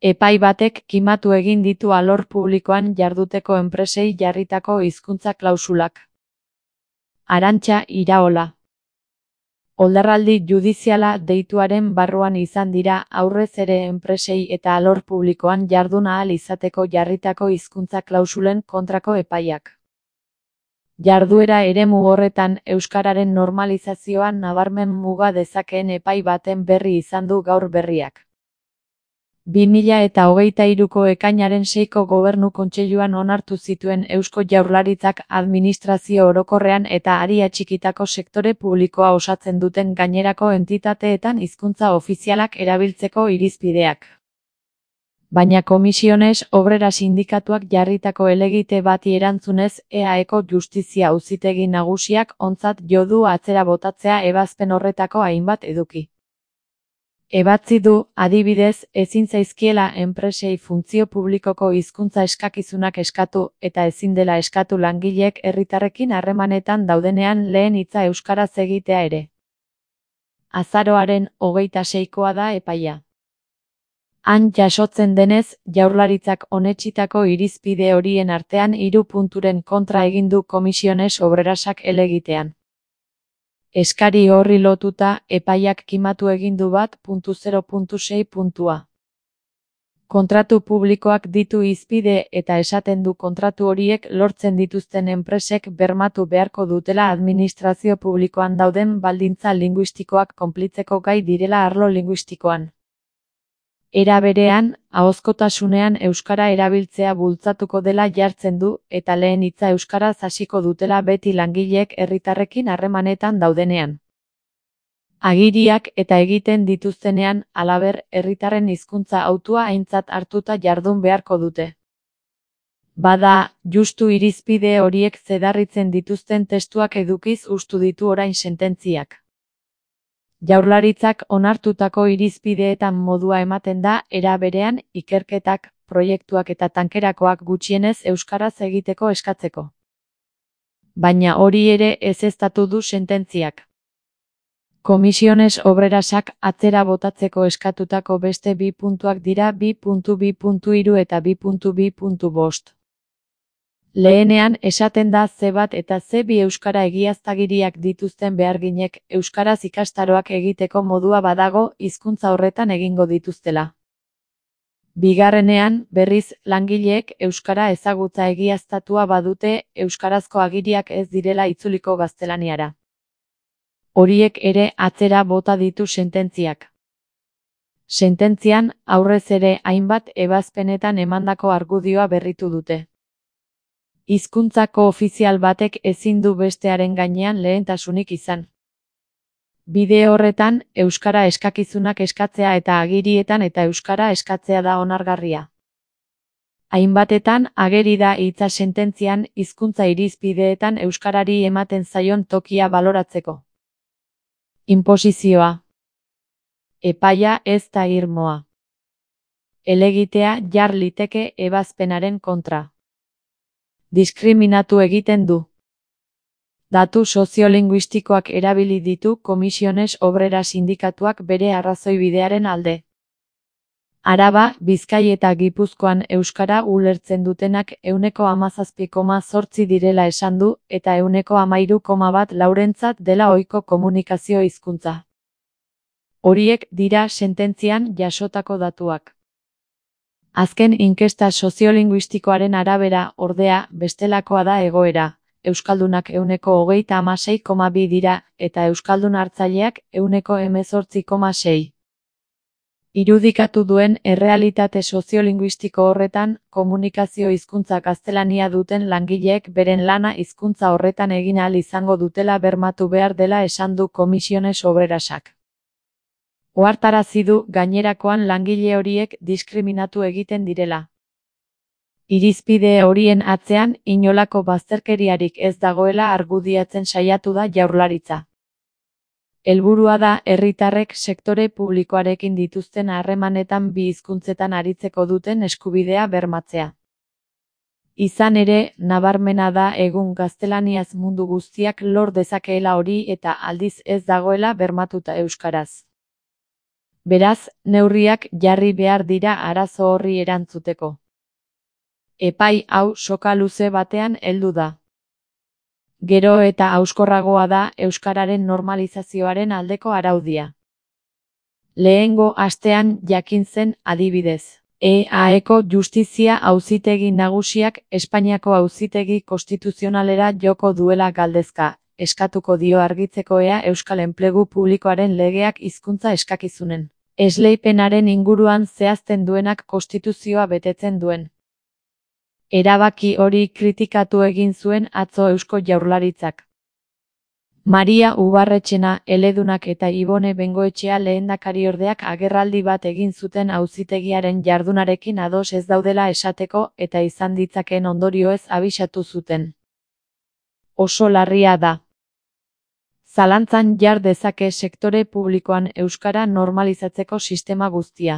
Epai batek kimatu egin ditu alor publikoan jarduteko enpresei jarritako hizkuntza klausulak. Arantxa Iraola. Oldarraldi judiziala deituaren barruan izan dira aurrez ere enpresei eta alor publikoan jardun ahal izateko jarritako hizkuntza klausulen kontrako epaiak. Jarduera eremu horretan euskararen normalizazioan nabarmen muga dezakeen epai baten berri izan du gaur berriak. 2023ko ekainaren 6ko Gobernu Kontseiluan onartu zituen Eusko Jaurlaritzak administrazio orokorrean eta ari atxikitako sektore publikoa osatzen duten gainerako entitateetan hizkuntza ofizialak erabiltzeko irizpideak. Baina Komisiones Obreras sindikatuak jarritako helegite bati erantzunez EAEko Justizia Auzitegi Nagusiak ontzat jo du atzera botatzea ebazpen horretako hainbat eduki. Ebatzi du, adibidez, ezin zaizkiela enpresei funtzio publikoko hizkuntza eskakizunak eskatu eta ezin dela eskatu langileek herritarrekin harremanetan daudenean lehen hitza euskaraz egitea ere. Azaroaren 26koa da epaia. Han jasotzen denez, Jaurlaritzak onetsitako irizpide horien artean 3 punturen kontra egin du Komisiones Obrerasak helegitean. Eskari horri lotuta, epaiak kimatu egin du 1.0.6 puntua. Kontratu publikoak ditu hizpide eta esaten du kontratu horiek lortzen dituzten enpresek bermatu beharko dutela administrazio publikoan dauden baldintza linguistikoak konplitzeko gai direla arlo linguistikoan. Era berean, ahozkotasunean euskara erabiltzea bultzatuko dela jartzen du eta lehen hitza euskaraz hasiko dutela beti langileek herritarrekin harremanetan daudenean. Agiriak eta egiten dituztenean, halaber, herritarren hizkuntza hautua aintzat hartuta jardun beharko dute. Bada, justu irizpide horiek zedarritzen dituzten testuak edukiz hustu ditu orain sententziak. Jaurlaritzak onartutako irizpideetan modua ematen da, era berean, ikerketak, proiektuak eta tankerakoak gutxienez euskaraz egiteko eskatzeko. Baina hori ere ezeztatu du sententziak. Komisiones Obrerasak atzera botatzeko eskatutako beste 2 puntuak dira 2.2.3 eta 2.2.5. Lehenean esaten da C1 eta C2 euskara egiaztagiriak dituzten beharginek euskaraz ikastaroak egiteko modua badago hizkuntza horretan egingo dituztela. Bigarrenean, berriz, langileek euskara ezagutza egiaztatua badute euskarazko agiriak ez direla itzuliko gaztelaniara. Horiek ere atzera bota ditu sententziak. Sententzian, aurrez ere hainbat ebazpenetan emandako argudioa berritu dute. Hizkuntzako ofizial batek ezin du bestearen gainean lehentasunik izan. Bide horretan, euskara eskakizunak eskatzea eta agirietan eta euskara eskatzea da onargarria. Hainbatetan ageri da hitza sententzian hizkuntza irizpideetan euskarari ematen zaion tokia baloratzeko. Inposizioa. Epaia ez da irmoa. Helegitea jar liteke ebazpenaren kontra. Diskriminatu egiten du. Datu soziolinguistikoak erabili ditu Komisiones Obreras sindikatuak bere arrazoibidearen alde. Araba, Bizkai eta Gipuzkoan euskara ulertzen dutenak 17,8% direla esan du eta 13,1% laurentzat dela ohiko komunikazio hizkuntza. Horiek dira sententzian jasotako datuak. Azken inkesta soziolinguistikoaren arabera, ordea, bestelakoa da egoera. Euskaldunak 36,2 dira, eta euskaldun hartzaileak 18,6. Irudikatu duen errealitate soziolinguistiko horretan, komunikazio hizkuntza gaztelania duten langileek beren lana hizkuntza horretan egin ahal izango dutela bermatu behar dela esan du Komisiones Obrerasak. Ohartarazi du gainerakoan langile horiek diskriminatu egiten direla. Irizpide horien atzean inolako bazterkeriarik ez dagoela argudiatzen saiatu da Jaurlaritza. Helburua da herritarrek sektore publikoarekin dituzten harremanetan bi hizkuntzetan aritzeko duten eskubidea bermatzea. Izan ere, nabarmena da egun gaztelaniaz mundu guztiak lor dezakeela hori eta aldiz ez dagoela bermatuta euskaraz. Beraz, neurriak jarri behar dira arazo horri erantzuteko. Epai hau soka luze batean heldu da. Gero eta hauskorragoa da euskararen normalizazioaren aldeko araudia. Lehengo astean jakin zen, adibidez. EAEko Justizia Auzitegi Nagusiak Espainiako Auzitegi Konstituzionalera joko duela galdezka, eskatuko dio argitzeko ea euskal enplegu publikoaren legeak hizkuntza eskakizunen esleipenaren inguruan zehazten duenak konstituzioa betetzen duen. Erabaki hori kritikatu egin zuen atzo Eusko Jaurlaritzak. Maria Ubarretxena, eledunak eta Ibone Bengoetxea lehendakariordeak agerraldi bat egin zuten auzitegiaren jardunarekin ados ez daudela esateko eta izan ditzakeen ondorioez abisatu zuten. Oso larria da. Zalantzan jar dezake sektore publikoan euskara normalizatzeko sistema guztia.